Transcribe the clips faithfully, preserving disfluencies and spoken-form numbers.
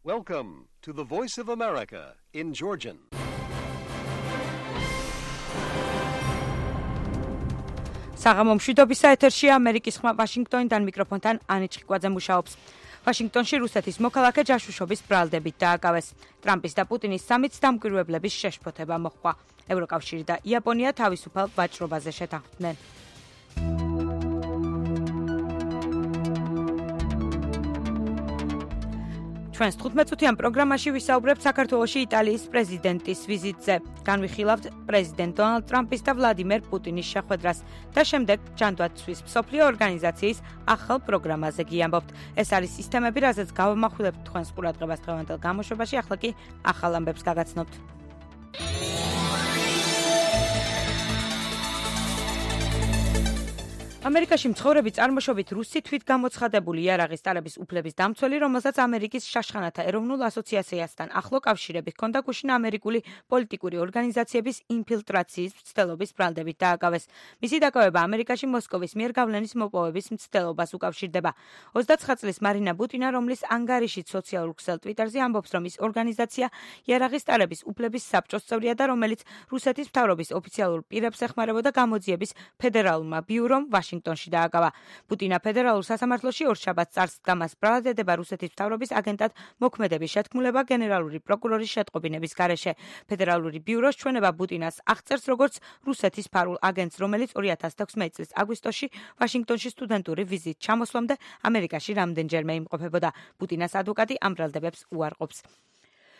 Welcome to the Voice of America in Georgian. საღამო მშვიდობისა ეთერშია ამერიკის ხმა ვაშინგტონიდან მიკროფონთან ანი ჩხიკვაძე მუშაობს. ვაშინგტონში რუსეთის მოქალაქე ჯაშუშობის ბრალდებით დააკავეს. ტრამპის და პუტინის სამიც დამკვირვებლების შეშფოთება მოჰყვა. ევროკავშირი და იაპონია თავისუფალ ვაჭრობაზე შეთანხმდნენ. ჩვენს თხუთმეტ-წუთიან პროგრამაში ვისაუბრებთ საქართველოში იტალიის პრეზიდენტის ვიზიტზე. განვიხილავთ პრეზიდენტ დონალდ ტრამპის და ვლადიმერ პუტინის შეხვედრას და შემდეგ ჯანდაცვის მსოფლიო ორგანიზაციის ახალ პროგრამაზე გიამბობთ. ეს არის სისტემები, რაზეც გავამახვილებთ თქვენს ყურადღებას დღევანდელ გამოშვებაში, ახლა კი ახალ ამბებს გაგაცნობთ. ამერიკაში მცხოვრები წარმოშობით რუსი თვითგამოცხადებული იარაღის ტარების უფლების დამცველი, რომელსაც ამერიკის შაშხანათა ეროვნულ ასოციაციასთან ახლო კავშირები ჰქონდა, გუშინ ამერიკული პოლიტიკური ორგანიზაციების ინფილტრაციის მცდელობის ბრალდებით დააკავეს. მისი დაკავება ამერიკაში მოსკოვის მიერ გავლენის მოპოვების მცდელობას უკავშირდება. ოცდაცხრა წლის მარინა ბუტინა, რომლის ანგარიშით სოციალურ ქსელ ტვიტერზე ამბობს, რომ ის ორგანიზაცია იარაღის ტარების უფლების საბჭოს წევრია და რომელიც რუსეთის მთავრობის ოფიციალურ პირებს ეხმარებოდა გამოძიების ფედერალურმა ბიურომ ვაშინგტონში დააკავა. პუტინა ფედერალურ სასამართლოში ორშაბათს წარს დგამას ბრალად ედება რუსეთის მთავრობის აგენტად მოქმედების შეთქმულება გენერალური პროკურორის შეტყობინების გარეშე. ფედერალური ბიუროს ჩვენება პუტინას აღწერს როგორც რუსეთის ფარულ აგენტს, რომელიც ორი ათას თექვსმეტი წლის აგვისტოში ვაშინგტონში სტუდენტური ვიზით ჩამოსვლამდე ამერიკაში რამდენჯერმე იმყოფებოდა. პუტინას ადვოკატი ამ ბრალდებებს უარყოფს.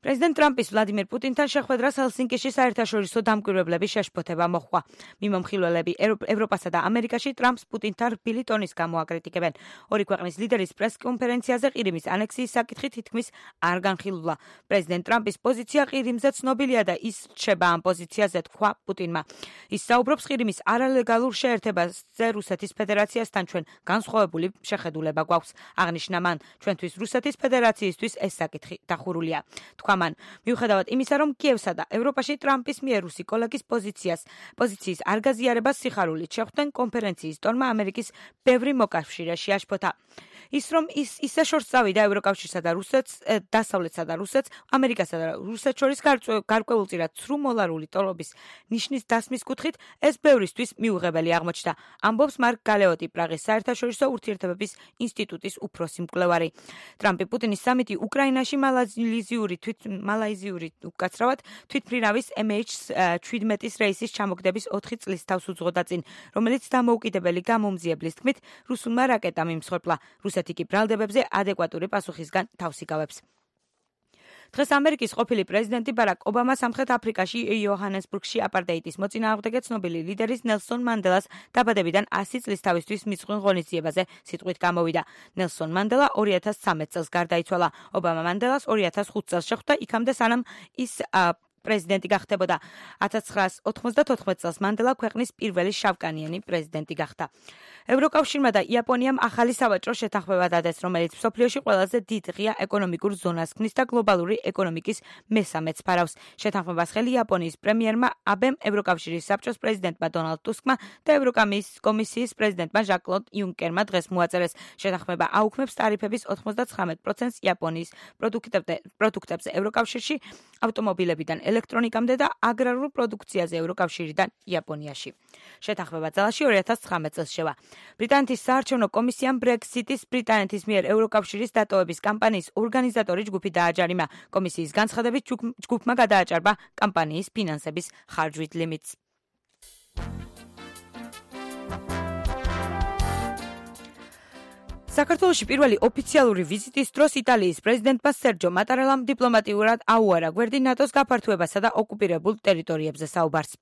პრეზიდენტ ტრამპის ვლადიმერ პუტინთან შეხვედრას ჰელსინკიში საერთაშორისო დამკვირვებლების შეშფოთება მოჰყვა. მიმომხილველები ევროპასა და ამერიკაში ტრამპს პუტინთან რბილი ტონის გამო აკრიტიკებენ. ორი ქვეყნის ლიდერის პრეს-კონფერენციაზე ყირიმის ანექსიის საკითხი თითქმის არ განხილულა. პრეზიდენტ ტრამპის პოზიცია ყირიმზე ცნობილია და ის რჩება ამ პოზიციაზე, თქვა პუტინმა. ის საუბრობს ყირიმის არალეგალურ შეერთებაზე რუსეთის ფედერაციასთან, ჩვენ განსხვავებული შეხედულება გვაქვს. აღნიშნა მან, ჩვენთვის რუსეთის ფედერაციისთვის ეს საკითხი დახურულია. მან. მიუხედავად იმისა, რომ კიევსა და ევროპაში ტრამპის მიერ რუსი კოლეგის პოზიციას პოზიციის არ გაზიარებას სიხარულით შეხვდნენ, კონფერენციის ტონმა ამერიკის ბევრი მოკავშირე შეაშფოთა. ის რომ ის ისე შორს წავიდა ევროკავშირსა და რუსეთს, დასავლეთსა და რუსეთს, ამერიკასა და რუსეთს შორის გარკვეულწილად ცრუ მოლარული ტოლობის ნიშნის დასმის კუთხით, ეს ბევრისთვის მიუღებელი აღმოჩნდა. ამბობს მარკ გალეოტი, პრაღის საერთაშორისო ურთიერთობების ინსტიტუტის უფროსი მკვლევარი. ტრამპი პუტინის სამიტი უკრაინაში მალაიზიური თვით მალაიზიური უკაცრავად თვითმფრინავის ემ ეიჩ შვიდმეტის რეისის ჩამოგდების ოთხი წლის თავს უძღოდა წინ, რომელიც დამოუკიდებელი გამომძიებლის თქმით რუსულმა რაკეტამ იმსხვერპლა. რუსეთი კი ბრალდებებზე ადეკვატური პასუხისგან თავს იკავებს. დღეს ამერიკის ყოფილი პრეზიდენტი ბარაკ ობამა სამხრეთ აფრიკაში იოჰანესბურგში აპარტეიდის მოწინააღმდეგე ცნობილი ლიდერის ნელსონ მანდელას დაბადებიდან ასი წლის თავისთვის მიძღვნილ ღონისძიებაზე სიტყვით გამოვიდა. ნელსონ მანდელა ორი ათას ცხრამეტ წელს გარდაიცვალა. ობამა მანდელას ორი ათას ხუთ წელს შეხვდა, იქამდე სანამ ის პრეზიდენტი გახდებოდა. ათას ცხრაასი ოცდათოთხმეტ წელს მანდელა ქვეყნის პირველი შავკანიანი პრეზიდენტი გახდა. ევროკავშირმა და იაპონიამ ახალი სავაჭრო შეთანხმება დადეს, რომელიც მსოფლიოში ყველაზე დიდ ღია ეკონომიკურ ზონას ქმნის და გლობალური ეკონომიკის მესამეც ფარავს. შეთანხმებას ხელი იაპონიის პრემიერმა აბემ, ევროკავშირის საბჭოს პრეზიდენტმა დონალდ ტუსკმა და ევროკომისიის პრეზიდენტმა ჟან-კლოდ იუნკერმა დღეს მოაწერეს. შეთანხმება აუქმებს ტარიფების ოცდაცხრამეტ პროცენტს იაპონიის პროდუქტებზე ევროკავშირში, ავტომობილებიდან ელექტრონიკამდე და აგრარულ პროდუქციაზე ევროკავშირიდან იაპონიაში. შეთანხმება ძალაში ორი ათას ცხრამეტ წელს შევა. ბრიტანეთის საარჩევნო კომისიამ ბრექსიტის ბრიტანეთის მიერ ევროკავშირის დატოვების კამპანიის ორგანიზატორი ჯგუფი დააჯარიმა. კომისიის განცხადებით ჯგუფმა გადააჭარბა კამპანიის ფინანსების ხარჯვით ლიმიტს. საქართველოში პირველი ოფიციალური ვიზიტის დროს იტალიის პრეზიდენტმა სერჯო მატარელამ დიპლომატიურად აუარა გვერდი ნატოს გაფართოებასა და ოკუპირებულ ტერიტორიებზე საუბარს.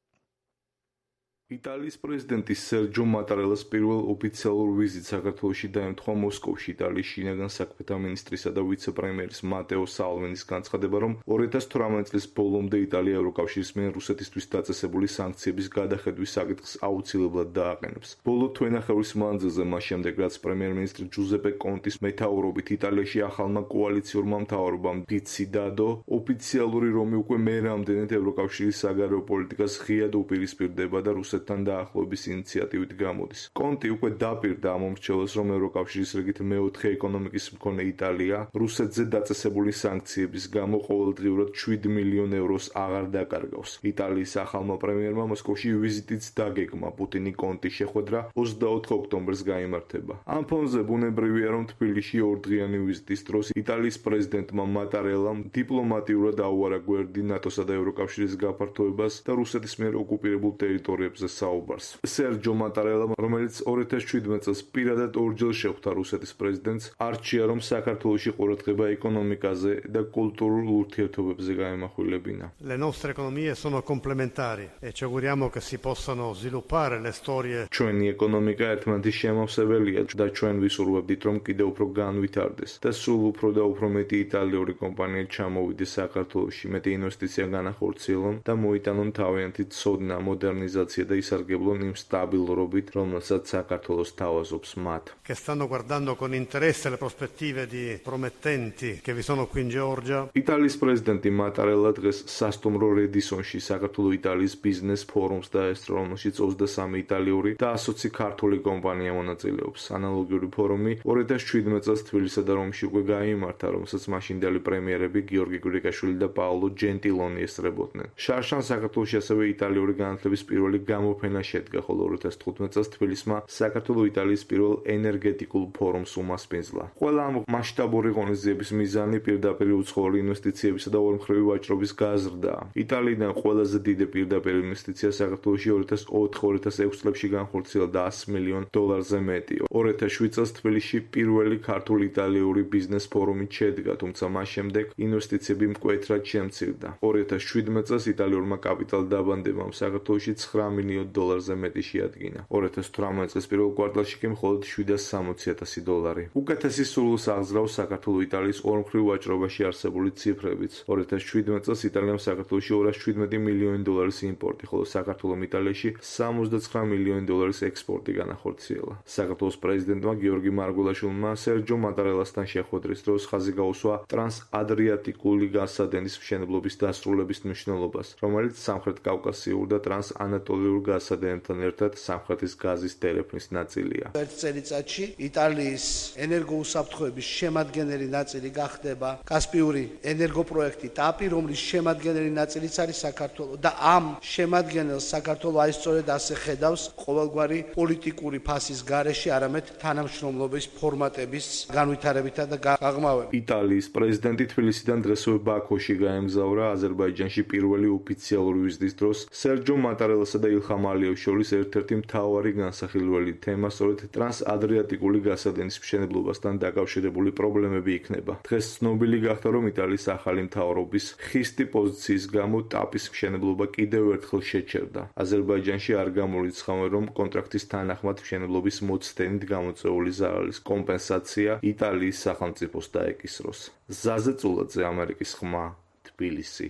იტალიის პრეზიდენტის სერჯო მატარელას პირველ ოფიციალურ ვიზიტს საქართველოში დაემთხვა მოსკოვში იტალიის შინაგან საქმეთა მინისტრისა და ვიცე-პრემიერის მატეო სალვინის განცხადება, რომ ორი ათას თვრამეტ წლის ბოლომდე იტალია ევროკავშირის მიერ რუსეთისთვის დაწესებული სანქციების გადახედვის საკითხს აუცილებლად დააყენებს. ბოლო თვენახევრის მანძილზე, მას შემდეგ რაც პრემიერ-მინისტრი ჯუზეპე კონტის მეთაურობით იტალიაში ახალმა კოალიციურმა მთავრობამ დიციდადო ოფიციალური რომი უკვე მე რამდენად ევროკავშირის საგარეო პოლიტიკას ღიად უპირისპირდება და რუსეთის რუსეთთან დაახლოების ინიციატივით გამოდის. კონტი უკვე დაპირდა ამ მომრჩეველს, რომ ევროკავშირის რიგით მეოთხე ეკონომიკის მქონე იტალია რუსეთზე დაწესებული სანქციების გამო ყოველდღიურად შვიდ მილიონ ევროს აღარ დაკარგავს. იტალიის ახალმა პრემიერმა მოსკოვში ვიზიტიც დაგეგმა. პუტინი კონტის შეხვედრა ოცდაოთხ ოქტომბერს გაიმართება. ამ ფონზე ბუნებრივია, რომ თბილისში ორდღიანი ვიზიტის დროს იტალიის პრეზიდენტმა მატარელამ დიპლომატიურად აუარა გვერდი ნატოსა და ევროკავშირის გაფართოებას და რუსეთის მიერ ოკუპირებულ ტერიტორიებზე საუბარს. სერჯო მატარელამ, რომელიც ორი ათას შვიდმეტ წელს პირადად ორჯერ შეხვდა რუსეთის პრეზიდენტს, არჩია, რომ საქართველოში ყურადღება ეკონომიკაზე და კულტურულ ურთიერთობებზე გაემახვილებინა. Le nostre economie sono complementari e ci auguriamo che si possano sviluppare le storie. ჩვენი ეკონომიკა ერთმანეთის შემავსებელია და ჩვენ ვისურვებდით, რომ კიდევ უფრო განვითარდეს და სულ უფრო და უფრო მეტი იტალიური კომპანია ჩამოვიდეს საქართველოში, მეტი ინვესტიცია განახორციელონ და მოიტანონ თავიანთი ცოდნა, მოდერნიზაცია და ისარგებლონ იმ სტაბილურობით, რომელსაც საქართველოს თავაზობს მათ. Che stanno guardando con interesse le prospettive di promettenti che vi sono qui in Georgia. იტალიის პრეზიდენტი მატარელა დღეს სასტუმრო რედისონში საქართველო-იტალიის ბიზნეს ფორუმს დაესწრო, რომელშიც ოცდასამი იტალიური და ასოცი ქართული კომპანია მონაწილეობს. ანალოგიური ფორუმი ორი ათას შვიდმეტ წელს თბილისსა და რომში უკვე გაიმართა, რომელსაც მაშინდელი პრემიერები გიორგი გრიგაშვილი და პაოლო ჯენტილონი ესწრებოდნენ. შარშან საქართველოში ასევე იტალიური განათლების პირველი გამოფენა შედგა, ხოლო ორი ათას თხუთმეტ წელს თბილისმა საქართველო-იტალიის პირველ ენერგეტიკულ ფორუმს უმასპინძლა. ყველა ამ მასშტაბური ღონისძიების მიზანი პირდაპირ უცხოური ინვესტიციებისა და ორმხრივი ვაჭრობის გაზრდაა. იტალიიდან ყველაზე დიდი პირდაპირ ინვესტიცია საქართველოში ორი ათას ოთხ ორი ათას ექვს წლებში განხორციელდა ასი მილიონ დოლარზე მეტი. ორი ათას შვიდ წელს თბილისში პირველი ქართულ-იტალიური ბიზნეს ფორუმი შედგა, თუმცა მას შემდეგ ინვესტიციები მკვეთრად შემცირდა. ორი ათას შვიდმეტ წელს იტალიურმა კაპიტალ დაბანდებამ საქართველოში ცხრა მილიონ დოლარზე მეტი შეადგინა. ორი ათას თვრამეტ წელს პირველ კვარტალში კი მხოლოდ შვიდას სამოცი ათასი დოლარი. უკეთესი სურვილს აღზრავს საქართველო-იტალიის ორმხრივ ვაჭრობაში არსებული ციფრებიც. ორი ათას შვიდმეტ წელს იტალიამ საქართველოში ორას შვიდმეტი მილიონი დოლარის იმპორტი, ხოლო საქართველომ იტალიაში სამოცდაცხრა მილიონი დოლარის ექსპორტი განახორციელა. საქართველოს პრეზიდენტმა გიორგი მარგველაშვილმა სერჯო მატარელასთან შეხვედრის დროს ხაზი გაუსვა ტრანსადრიატიკული გაზსადენის მშენებლობის დასრულების მნიშვნელობას, რომელიც სამხრეთ კავკასიურ და ტრანსანატოლიურ გაზსადენებთან ერთად სამხრეთის გაზის დერეფნის ნაწილია. ერთ წელიწადში იტალიის ენერგოუსაფრთხოების შემადგენელი ნაწილი გახდება კასპიური ენერგოპროექტი ტაპი, რომლის შემადგენელი ნაწილიც არის საქართველო და ამ შემადგენელს საქართველო აი სწორედ ასე ხედავს ყოველგვარი პოლიტიკური ფასის გარეშე, არამედ თანამშრომლობის ფორმატების განვითარებითა და გაღრმავებით. იტალიის პრეზიდენტი თბილისიდან დღესვე ბაქოში გაემგზავრა. აზერბაიჯანში პირველი ოფიციალური ვიზიტის დროს სერჯო მატარელასა და ილხამ ალიევს შორის ერთ-ერთი მთავარი განსახილველი თემა სწორედ ტრანსადრიატიკული გაზსადენის მშენებლობასთან დაკავშირებული პრობლემები იქნება. დღეს ცნობილი გახდა, რომ იტალიის ახალი მთავრობის ხისტი პოზიციის გამო ტაპის მშენებლობა კიდევ ერთხელ შეჩერდა. აზერბაიჯანში არ გამორიცხავენ, რომ კონტრაქტის თანახმად მშენებლობის მოცდენით გამოწვეული ზარალის კომპენსაცია იტალიის სახელმწიფოს დაეკისროს. ზაზე წულაძე, ამერიკის ხმა, თბილისი.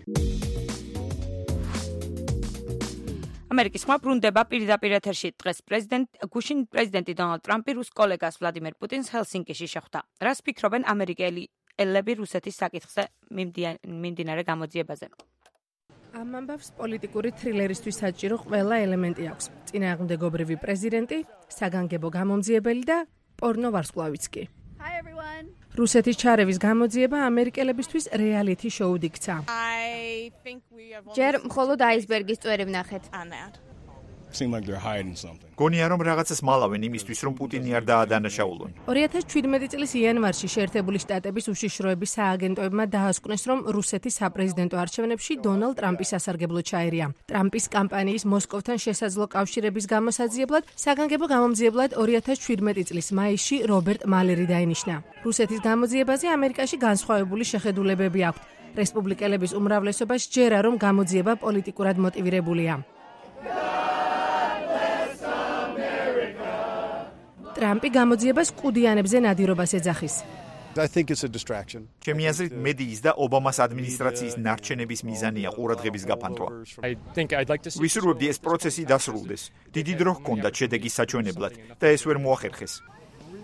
ამერიკის ხმა ბრუნდება პირდაპირ ეთერში. დღეს პრეზიდენტ გუშინ პრეზიდენტი დონალდ ტრამპი რუს კოლეგას ვლადიმერ პუტინს ჰელსინკიში შეხვდა. რას ფიქრობენ ამერიკელი ელები რუსეთის საკითხზე მიმდინარე გამოძიებაზე? ამ ამბავს პოლიტიკური თრილერისთვის საჭირო ყველა ელემენტი აქვს. წინააღმდეგობრივი პრეზიდენტი, საგანგებო გამომძიებელი და პორნო ვარსკვლავიც კი. რუსეთის ჩარევის გამოძიება ამერიკელებისთვის რეალიტი შოუდ იქცა. ჯერ მხოლოდ აისბერგის წვერი ვნახეთ. გონია რომ რაღაცას მალავენ იმისთვის, რომ პუტინი არ დაადანაშაულონ. ორი ათას შვიდმეტი წლის იანვარში შეერთებული შტატების უშიშროების სააგენტოებმა დაასკვნეს, რომ რუსეთის საპრეზიდენტო არჩევნებში დონალდ ტრამპის სასარგებლო ჩაერია. ტრამპის კამპანიის მოსკოვთან შესაძლო კავშირების გამოსაძიებლად საგანგებო გამომძიებლად ორი ათას შვიდმეტი წლის მაისში რობერტ მალერი დაინიშნა. რუსეთის გამოძიებაზე ამერიკაში განსხვავებული შეხედულებები აქვთ. რესპუბლიკელების უმრავლესობა სჯერა, რომ გამოძიება პოლიტიკურად მოტივირებულია. ტრამპი გამოძიებას კუდიანებზე ნადირობას ეძახის. ჩემი აზრით, მედიის და ობამას ადმინისტრაციის ნარჩენების მიზანია ყურადღების გაფანტვა. ვისურვებდი ეს პროცესი დასრულდეს. დიდი დრო ჰქონდათ შედეგის საჩვენებლად და ეს ვერ მოახერხეს.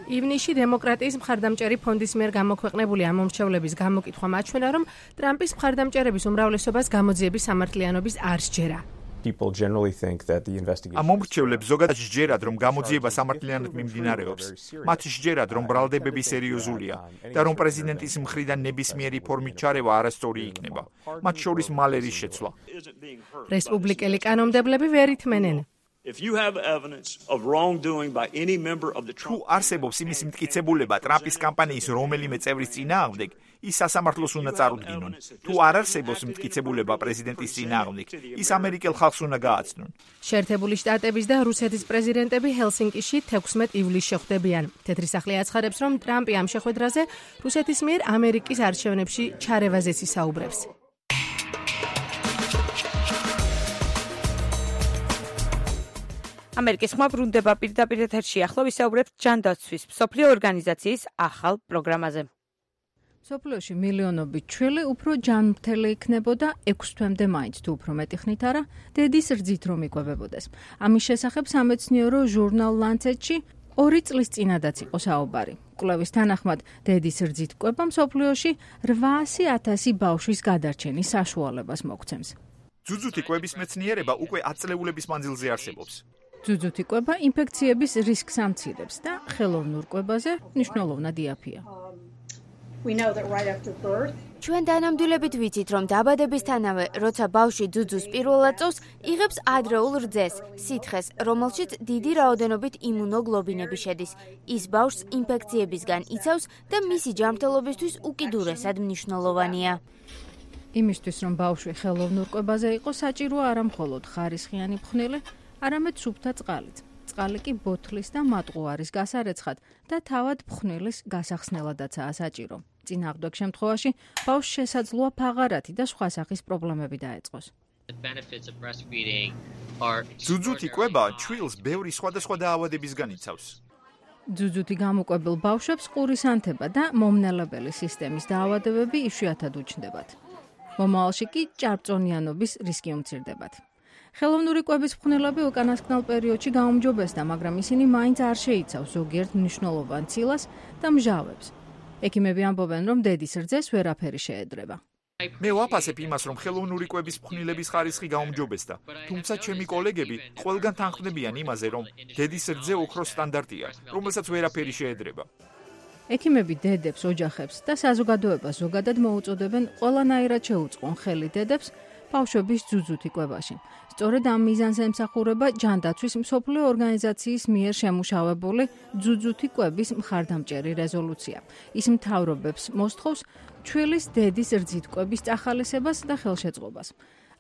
ივნისში დემოკრატიის მხარდამჭერი ფონდის მიერ გამოქვეყნებული ამ მომრჩევლების გამოკითხვა მაჩვენა, რომ ტრამპის მხარდამჭერების უმრავლესობას გამოძიების სამართლიანობის არ სჯერა. People generally think that the investigation ამ მომრჩევლებს ზოგადად სჯერათ, რომ გამოძიება სამართლიანად მიმდინარეობს. მათ სჯერათ, რომ ბრალდებები სერიოზულია და რომ პრეზიდენტის მხრიდან ნებისმიერი ფორმით ჩარევა არასწორი იქნება. მათ შორის მალერის შეცვლა. რესპუბლიკელი კანონმდებლები ვერ ითმენენ. If you have evidence of wrongdoing by any member of the Trump არსებობს იმის მტკიცებულება ტრამპის კამპანიის რომელიმე წევრის წინააღმდეგ, ის სასამართლოს უნდა წარუდგინონ. თუ არ არსებობს მტკიცებულება პრეზიდენტის წინააღმდეგ, ის ამერიკელ ხალხს უნდა გააცნონ. შეერთებული შტატების და რუსეთის პრეზიდენტები ჰელსინკიში თექვსმეტ ივლისს შეხვდებიან. თეთრი სახლი აცხადებს, რომ ტრამპი ამ შეხვედრაზე რუსეთის მიერ ამერიკის არჩევნებში ჩარევაზეც ისაუბრებს. ამერიკის ხმა ბრუნდება პირდაპირ ეთერში. ახლა ვისაუბრებთ ჯანდაცვის მსოფლიო ორგანიზაციის ახალ პროგრამაზე. მსოფლიოში მილიონობით ჩვილი უფრო ჯანმრთელი იქნებოდა ექვს თვემდე მაინც თუ უფრო მეტი ხნით არა, დედის რძით რომ იკვებებოდეს. ამის შესახებ სამეცნიერო ჟურნალ Lancet-ში ორი წლის წინადაც იყო საუბარი. კვლევის თანახმად, დედის რძით კვება მსოფლიოში რვაასი ათასი ბავშვის გადარჩენის საშუალებას მოგცემს. ძუძუთი კვების მეცნიერება უკვე ათ წლეულების მანძილზე არსებობს. ძუძუთი კვება ინფექციების რისკს ამცირებს და ხელოვნურ კვებაზე მნიშვნელოვნად იაფია. ჩვენ დანამდვილებით ვიცით, რომ დაბადებისთანავე, როცა ბავშვი ძუძუს პირველად წოვს, იღებს ადრეულ რძეს, სითხეს, რომელშიც დიდი რაოდენობით იმუნოგლობინები შედის. ის ბავშვს ინფექციებისგან იცავს და მისი ჯანმრთელობისთვის უკიდურესად მნიშვნელოვანია. იმისთვის, რომ ბავშვი ხელოვნურ კვებაზე იყოს, საჭიროა არა მხოლოდ ხარისხიანი ფხვნილი, არამედ სუფთა წყალიც. წყალი კი ბოთლის და მატყუარის გასარეცხად და თავად ფხვნილის გასახსნელადაცაა საჭირო. წინააღმდეგ შემთხვევაში ბავშვს შესაძლოა ფაღარათი და სხვა სახის პრობლემები დაეწყოს. ძუძუთი კვება ჩვილს ბევრი სხვადასხვა დაავადებისგან იცავს. ძუძუთი გამოკვებილ ბავშვებს ყურის ანთება და მომნელებელი სისტემის დაავადებები იშვიათად უჩნდებათ. მომავალში კი ჭარბწონიანობის რისკი უმცირდებათ. ხელოვნური კვების ფხვნილები უკანასკნელ პერიოდში გაუმჯობესდა, მაგრამ ისინი მაინც არ შეიცავს ზოგიერთ მნიშვნელოვან ცილას და მჟავებს. ექიმები ამბობენ, რომ დედის რძეს ვერაფერი შეედრება. მე ვაფასებ იმას, რომ ხელოვნური კვების ფხვნილების ხარისხი გაუმჯობესდა, თუმცა ჩემი კოლეგები ყველგან თანხმდებიან იმაზე, რომ დედის რძე ოქროს სტანდარტია, რომელსაც ვერაფერი შეედრება. ექიმები დედებს, ოჯახებს და საზოგადოებას ზოგადად მოუწოდებენ ყველანაირად შეუწყონ ხელი დედებს ბავშვების ძუძუთი კვებაში. სწორედ ამ მიზანს ემსახურება ჯანდაცვის მსოფლიო ორგანიზაციის მიერ შემუშავებული ძუძუთი კვების მხარდამჭერი რეზოლუცია. ის მთავრობებს მოსთხოვს ჩვილის დედის რძით კვების წახალისებას და ხელშეწყობას.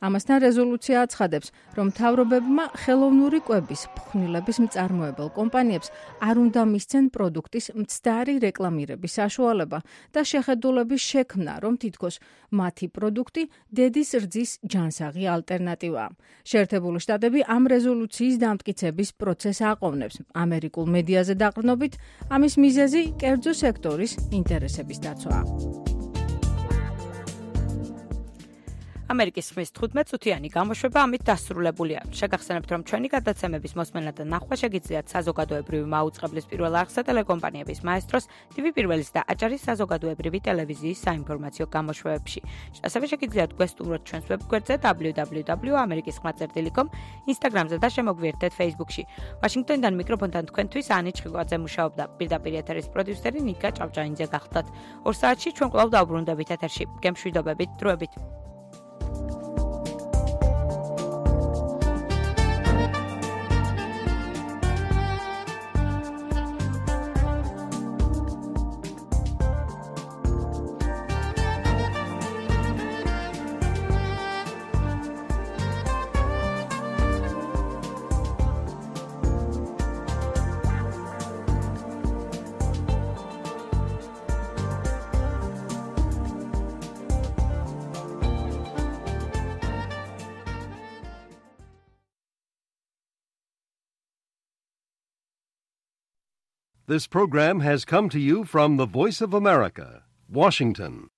ამასთან რეზოლუცია აცხადებს, რომ მთავრობებმა ხელოვნური კვების ფხვნილების მწარმოებელ კომპანიებს არ უნდა მისცენ პროდუქტის მცდარი რეკლამირების საშუალება და შეხედულების შექმნა, რომ თითქოს მათი პროდუქტი დედის რძის ჯანსაღი ალტერნატივაა. შეერთებული შტატები ამ რეზოლუციის დამტკიცების პროცესს აყოვნებს. ამერიკულ მედიაზე დაყრდნობით, ამის მიზეზი კერძო სექტორის ინტერესების დაცვაა. ამერიკის ხმის თხუთმეტ წუთიანი გამოშვება ამით დასრულებულია. შეგახსენებთ, რომ ჩვენი გადაცემების მოსმენა და ნახვა შეგიძლიათ საზოგადოებრივი მაუწყებლის პირველ არხსა ტელეკომპანიების მაესტროს, ტივი პირველის და აჭარის საზოგადოებრივი ტელევიზიის საინფორმაციო გამოშვებებში. ასევე შეგიძლიათ გვესტუმროთ ჩვენს ვებგვერდზე დაბლიუ დაბლიუ დაბლიუ 점 ამერიკის ხმა წერტილი 닷კომ, ინსტაგრამზე და შემოგვიერთდეთ ფეისბუქში. ვაშინგტონიდან მიკროფონთან თქვენთვის ანი ჩხიკვაძე მუშაობდა. პირდაპირ ეთერის პროდიუსერი ნიკა ჭავჭაინძე გახლდათ. ორ საათში ჩვენ კვლავ დავბრუნდებით ეთერში. გემშვიდობებით, დროებით. This program has come to you from the Voice of America, Washington.